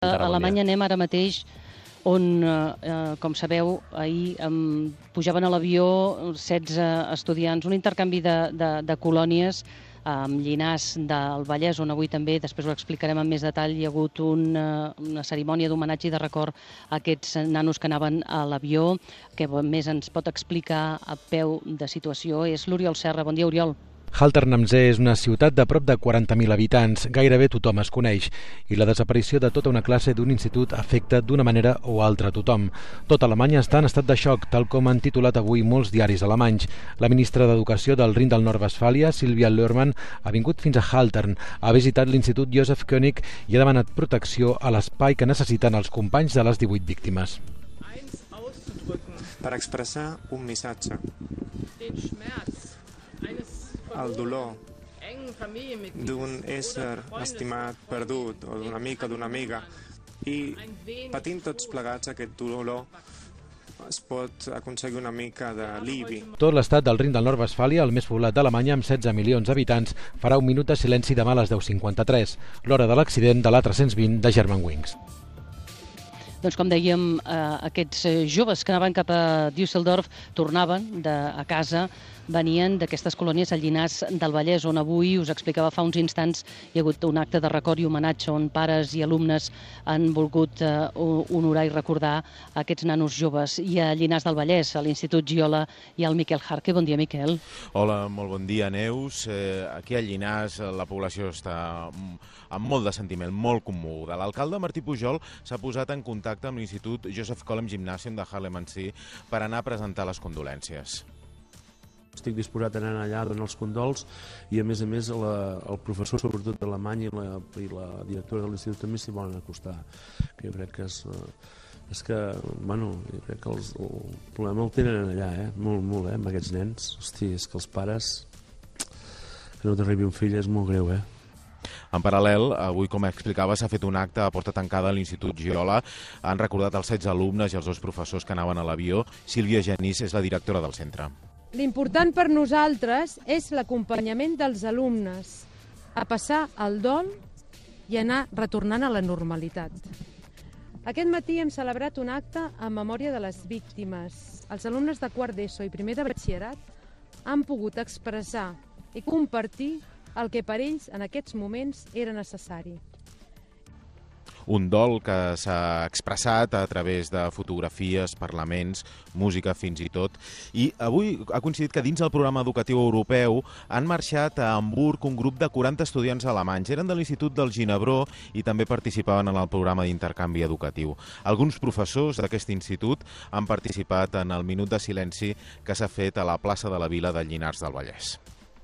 A Alemanya anem ara mateix on, com sabeu, ahir pujaven a l'avió 16 estudiants, un intercanvi de colònies amb Llinars del Vallès, on avui també, després ho explicarem amb més detall, hi ha hagut una cerimònia d'homenatge i de record a aquests nanos que anaven a l'avió. Que més ens pot explicar a peu de situació és l'Oriol Serra. Bon dia, Oriol. Haltern am See és una ciutat de prop de 40.000 habitants, gairebé tothom es coneix, i la desaparició de tota una classe d'un institut afecta d'una manera o altra a tothom. Tota Alemanya està en estat de xoc, tal com han titulat avui molts diaris alemanys. La ministra d'Educació del Rin del Nord-Westfàlia, Silvia Lohrmann, ha vingut fins a Haltern, ha visitat l'Institut Joseph König i ha demanat protecció a l'espai que necessiten els companys de les 18 víctimes. Per expressar un missatge. El dolor d'un ésser estimat, perdut, o d'un amic o d'una amiga, i patint tots plegats aquest dolor es pot aconseguir una mica d'alivi. Tot l'estat del Rin del Nord-Westfàlia, el més poblat d'Alemanya, amb 16 milions d'habitants, farà un minut de silenci demà a les 10:53, l'hora de l'accident de l'A320 de Germanwings. Doncs com dèiem, aquests joves que anaven cap a Düsseldorf tornaven a casa, venien d'aquestes colònies a Llinars del Vallès, on avui, us explicava fa uns instants, hi ha hagut un acte de record i homenatge on pares i alumnes han volgut honorar i recordar aquests nanos joves. I a Llinars del Vallès, a l'Institut Giola, hi ha el Miquel Jarque. Bon dia, Miquel. Hola, molt bon dia, Neus. Aquí a Llinars la població està amb molt de sentiment, molt commoguda. L'alcalde Martí Pujol s'ha posat en contacte amb l'Institut Joseph Collem Gymnasium de Haarlem am See per anar a presentar les condolències. Estic disposat a anar allà a donar els condols i, a més, el professor, sobretot d'alemany, i la directora de l'institut també s'hi volen acostar. Que jo crec que jo crec que el problema el tenen allà, molt, amb aquests nens. Hosti, és que els pares, que no t'arribi un fill és molt greu, En paral·lel, avui, com explicava, s'ha fet un acte a porta tancada a l'Institut Giola. Han recordat els 16 alumnes i els 2 professors que anaven a l'avió. Sílvia Genís és la directora del centre. L'important per nosaltres és l'acompanyament dels alumnes a passar el dol i anar retornant a la normalitat. Aquest matí hem celebrat un acte en memòria de les víctimes. Els alumnes de quart d'ESO i primer de batxillerat han pogut expressar i compartir el que per ells en aquests moments era necessari. Un dol que s'ha expressat a través de fotografies, parlaments, música fins i tot. I avui ha coincidit que dins del programa educatiu europeu han marxat a Hamburg un grup de 40 estudiants alemanys. Eren de l'Institut del Ginebró i també participaven en el programa d'intercanvi educatiu. Alguns professors d'aquest institut han participat en el minut de silenci que s'ha fet a la plaça de la Vila de Llinars del Vallès.